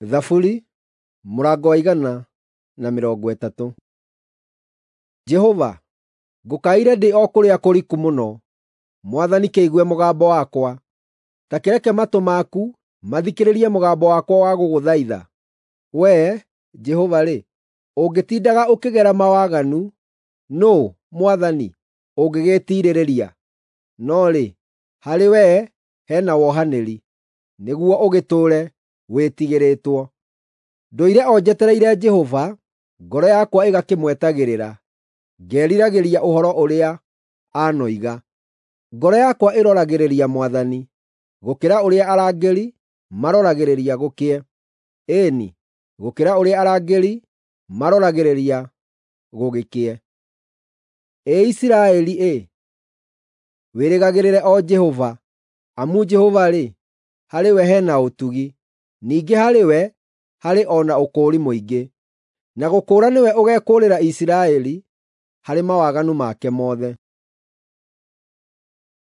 Thaburi mũrango wa 130. Jehova, ngũkaĩire ndĩ o kũrĩa kũriku mũno, Mwathani kĩigue mũgambo wakwa. Ta kĩreke matũ maku mathikĩrĩrie mũgambo wakwa wa gũgũthaitha. Wee, Jehova-rĩ, ũngĩtindaga ũkĩgera mawaganu, nũũ, Mwathani, ũngĩgĩĩtiirĩrĩria? No rĩ, harĩ wee he na wohanĩri, nĩguo ũgĩtũũre wĩtigĩrĩtwo. Ndũire o njetereire Jehova, ngoro yakwa ĩgakĩmwetagĩrĩra, ngeriragĩria ũhoro ũrĩa anoiga. Ngoro yakwa ĩroragĩrĩria Mwathani, gũkĩra ũrĩa arangĩri maroragĩrĩria gũkĩe, ĩĩ-ni, gũkĩra ũrĩa arangĩri maroragĩrĩria gũgĩkĩe. Ĩ Isiraeli-ĩ, wĩrĩgagĩrĩre o Jehova, amu Jehova-rĩ, harĩ we he na ũtugi, ningĩ harĩ we harĩ o na ũkũũri mũingĩ, na gũkũũra nĩwe ũgeekũũrĩra Isiraeli harĩ mawaganu make mothe.